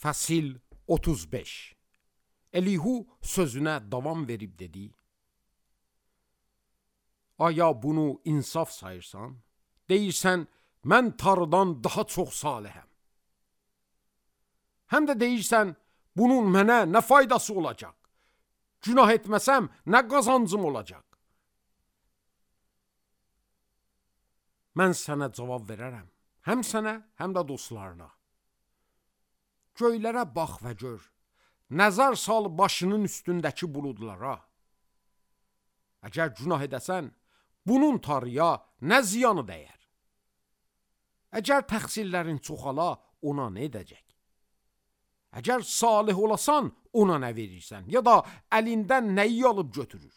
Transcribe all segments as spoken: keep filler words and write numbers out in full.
Fəsil otuz beş. Elihu sözünə davam verib dedi: Aya bunu insaf sayırsan? Deyirsən, mən Tanrıdan daha çox salihəm. Həm də deyirsən, bunun mənə nə faydası olacaq? Günah etməsəm, nə qazancım olacaq? Mən sənə cavab verərəm, həm sənə, həm də dostlarına. Göylərə bax və gör, nəzər sal başının üstündəki buludlara. Əgər günah edəsən, bunun Tanrıya nə ziyanı dəyər? Əgər təqsirlərin çoxala, ona nə edəcək? Əgər salih olasan, ona nə verirsən, ya da əlindən nəyi alıb götürür?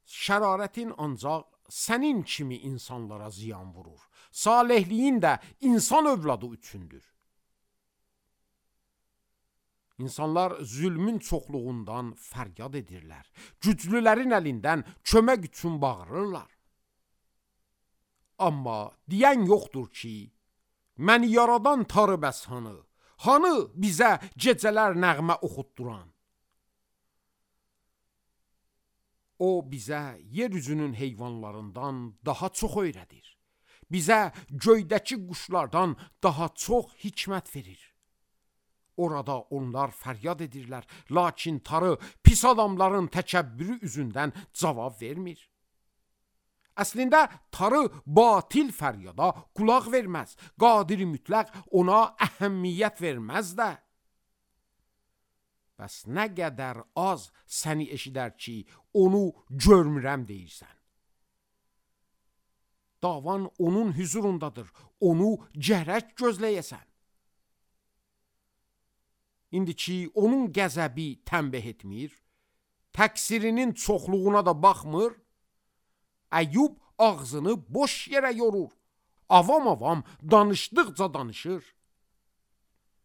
Şərarətin ancaq sənin kimi insanlara ziyan vurur. Salihliyin də insan övladı üçündür. İnsanlar zülmün çoxluğundan fəryad edirlər. Güclülərin əlindən kömək üçün bağırırlar. Amma deyən yoxdur ki, məni yaradan Tanrı bəs hanı? Hanı bizə gecələr nəğmə oxutduran? O bizə yeryüzünün heyvanlarından daha çox öyrədir. Bizə göydəki quşlardan daha çox hikmət verir. Orada onlar fəryad edirlər, lakin Tanrı pis adamların təkəbbürü üzündən cavab vermir. Əslində Tanrı batil fəryada qulaq verməz, qadir mütləq ona əhəmiyyət verməz də. Bəs nə qədər az səni eşidər ki, onu görmürəm deyirsən. Davan onun hüzurundadır, onu gərək gözləyəsən. İndi ki, onun qəzəbi tənbih etmir, təqsirinin çoxluğuna da baxmır, Əyyub ağzını boş yerə yorur, avam-avam danışdıqca danışır.